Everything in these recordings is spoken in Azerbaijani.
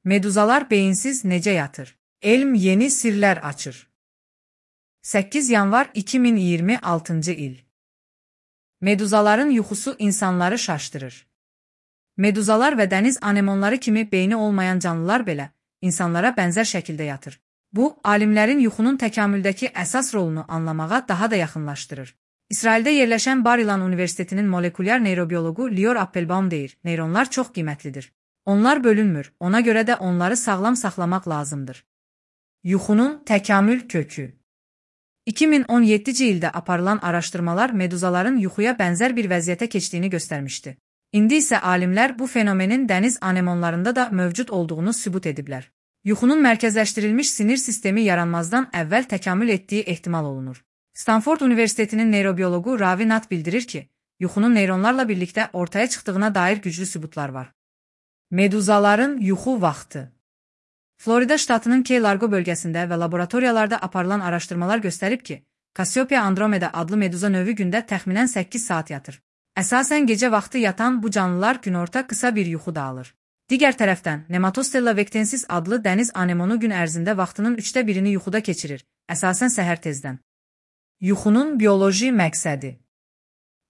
Meduzalar beyinsiz necə yatır? Elm yeni sirlər açır. 8 yanvar 2026 il. Meduzaların yuxusu insanları şaşdırır. Meduzalar və dəniz anemonları kimi beyni olmayan canlılar belə insanlara bənzər şəkildə yatır. Bu, alimlərin yuxunun təkamüldəki əsas rolunu anlamağa daha da yaxınlaşdırır. İsraildə yerləşən Bar-İlan Universitetinin molekulyar neyrobiyoloqu Lior Appelbaum deyir, neyronlar çox qiymətlidir. Onlar bölünmür, ona görə də onları sağlam saxlamaq lazımdır. Yuxunun təkamül kökü. 2017-ci ildə aparılan araşdırmalar meduzaların yuxuya bənzər bir vəziyyətə keçdiyini göstərmişdi. İndi isə alimlər bu fenomenin dəniz anemonlarında da mövcud olduğunu sübut ediblər. Yuxunun mərkəzləşdirilmiş sinir sistemi yaranmazdan əvvəl təkamül etdiyi ehtimal olunur. Stanford Universitetinin neyrobiyoloqu Ravi Nath bildirir ki, yuxunun neyronlarla birlikdə ortaya çıxdığına dair güclü sübutlar var. Meduzaların yuxu vaxtı. Florida ştatının Key Largo bölgəsində və laboratoriyalarda aparılan araşdırmalar göstərib ki, Cassiopeia andromeda adlı meduza növü gündə təxminən 8 saat yatır. Əsasən gecə vaxtı yatan bu canlılar günorta qısa bir yuxu da alır. Digər tərəfdən, Nematostella vectensis adlı dəniz anemonu gün ərzində vaxtının 1/3-ni yuxuda keçirir, əsasən səhər tezdən. Yuxunun bioloji məqsədi.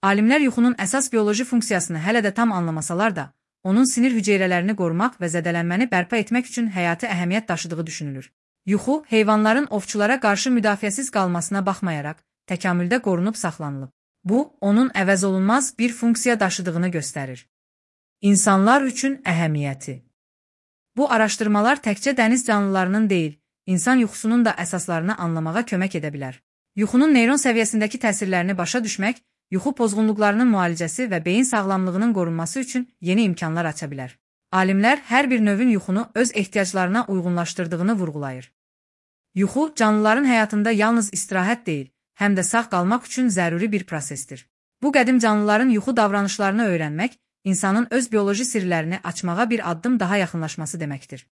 Alimlər yuxunun əsas bioloji funksiyasını hələ də tam anlamasalar da, onun sinir hüceyrələrini qorumaq və zədələnməni bərpa etmək üçün həyati əhəmiyyət daşıdığı düşünülür. Yuxu, heyvanların ovçulara qarşı müdafiəsiz qalmasına baxmayaraq, təkamüldə qorunub saxlanılıb. Bu, onun əvəzolunmaz bir funksiya daşıdığını göstərir. İnsanlar üçün əhəmiyyəti. Bu araşdırmalar təkcə dəniz canlılarının deyil, insan yuxusunun da əsaslarını anlamağa kömək edə bilər. Yuxunun neyron səviyyəsindəki təsirlərini başa düşmək, yuxu pozğunluqlarının müalicəsi və beyin sağlamlığının qorunması üçün yeni imkanlar aça bilər. Alimlər hər bir növün yuxunu öz ehtiyaclarına uyğunlaşdırdığını vurğulayır. Yuxu, canlıların həyatında yalnız istirahət deyil, həm də sağ qalmaq üçün zəruri bir prosesdir. Bu qədim canlıların yuxu davranışlarını öyrənmək, insanın öz bioloji sirlərini açmağa bir addım daha yaxınlaşması deməkdir.